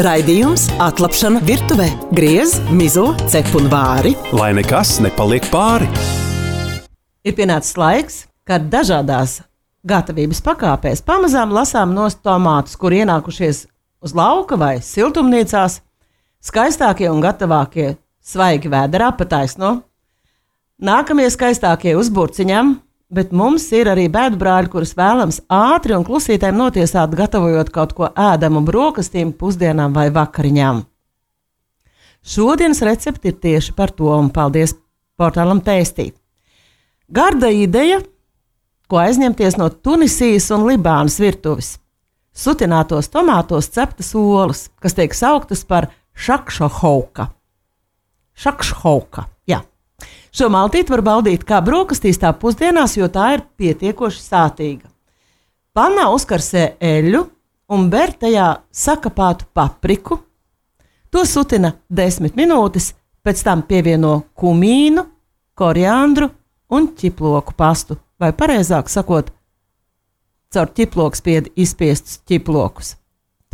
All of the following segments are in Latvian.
Raidījums Atlapšana virtuvē. Griez, mizo, cep un vāri. Lai nekas nepaliek pāri. Ir pienācis laiks, kad dažādās gatavības pakāpēs pamazām lasām nost tomātus, kur ienākušies uz lauka vai siltumnīcās, skaistākie un gatavākie svaigi vēderā pa taisno. Nākamie skaistākie uz burciņām, bet mums ir arī bēdbrāļi, kurus vēlams ātri un klusītēm notiesāt, gatavojot kaut ko ēdamu brokastīm, pusdienām vai vakariņām. Šodienas recepti ir tieši par to, un paldies portālam Tēstīt. Garda ideja, ko aizņemties no Tunisijas un Libānas virtuves. Sutinātos tomātos ceptas olas, kas tiek sauktas par šakšohauka. Šakšohauka, jā. Šo maltīti var baudīt kā brokastīs, tā pusdienās, jo tā ir pietiekoši sātīga. Pannā uzkarsē eļļu un ber tajā sakapātu papriku. To sutina 10 minūtes, pēc tam pievieno kumīnu, koriandru un ķiploku pastu, vai pareizāk sakot, caur ķiplokspiedi izspiestus ķiplokus.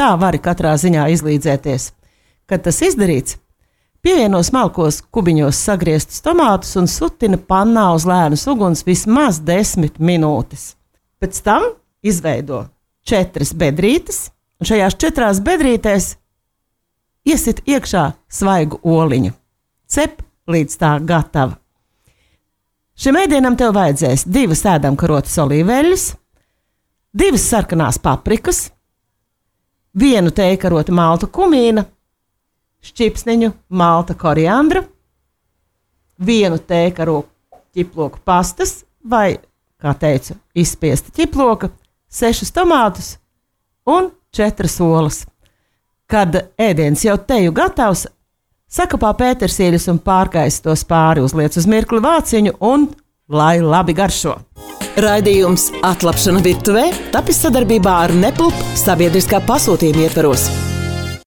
Tā vari katrā ziņā izlīdzēties. Kad tas izdarīts, pievieno smalkos kubiņos sagrieztus tomātus un sutina pannā uz lēnas uguns vismaz 10 minūtes. Pēc tam izveido 4 bedrītes, un šajās 4 bedrītēs iesit iekšā svaigu oliņu. Cep līdz tā gatava. Šim ēdienam tev vajadzēs 2 ēdamkarotas olīveļas, 2 sarkanās paprikas, 1 tējkarota maltu kumīna, šķipsniņu malta koriandra, 1 tējkarotu ķiploku pastas vai, kā teicu, izspiesta ķiploka, 6 tomātus un 4 olas. Kad ēdiens jau teju gatavs, sakapā pētersīļus un pārkaisi tos pāri, uzliec uz mirkli vāciņu un lai labi garšo. Raidījums Atlapšana virtuvē tapis sadarbībā ar Nepulp sabiedriskā pasūtījuma ietvaros.